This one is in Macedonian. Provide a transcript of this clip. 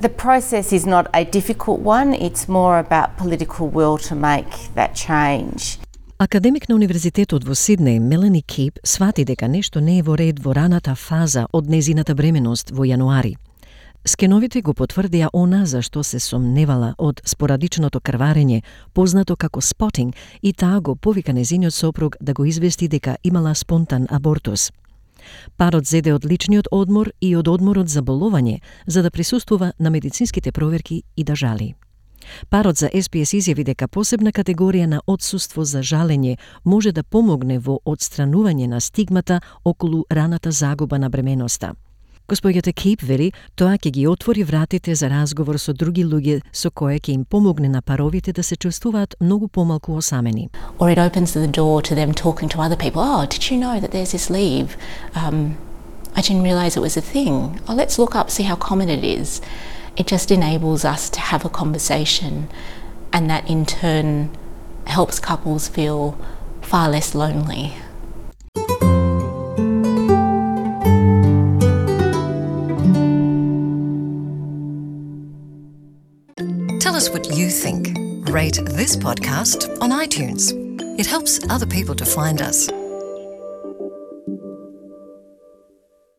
The process is not a difficult one, it's more about political will to make that change. Академик на Универзитетот во Сиднеј, Мелани Кип, свати дека нешто не е во ред во раната фаза од незината бременост во јануари. Скеновите го потврдија она за што се сомневала од спорадичното крварење, познато како спотинг, и таа го повика незиниот сопруг да го извести дека имала спонтан абортус. Парот зеде од личниот одмор и од одморот за болување, за да присуствува на медицинските проверки и да жали. Парот за SPS изјави дека посебна категорија на отсуство за жалење може да помогне во отстранување на стигмата околу раната загуба на бременоста. Господјата Кип вери, тоа ќе ги отвори вратите за разговор со други луѓе со кое ќе им помогне на паровите да се чувствуваат многу помалку осамени. Or it opens the door to them talking to other people. Oh, did you know that there's this leave? I didn't realise it was a thing. Oh, let's look up, see how common it is. It just enables us to have a conversation, and that in turn helps couples feel far less lonely. Tell us what you think. Rate this podcast on iTunes. It helps other people to find us.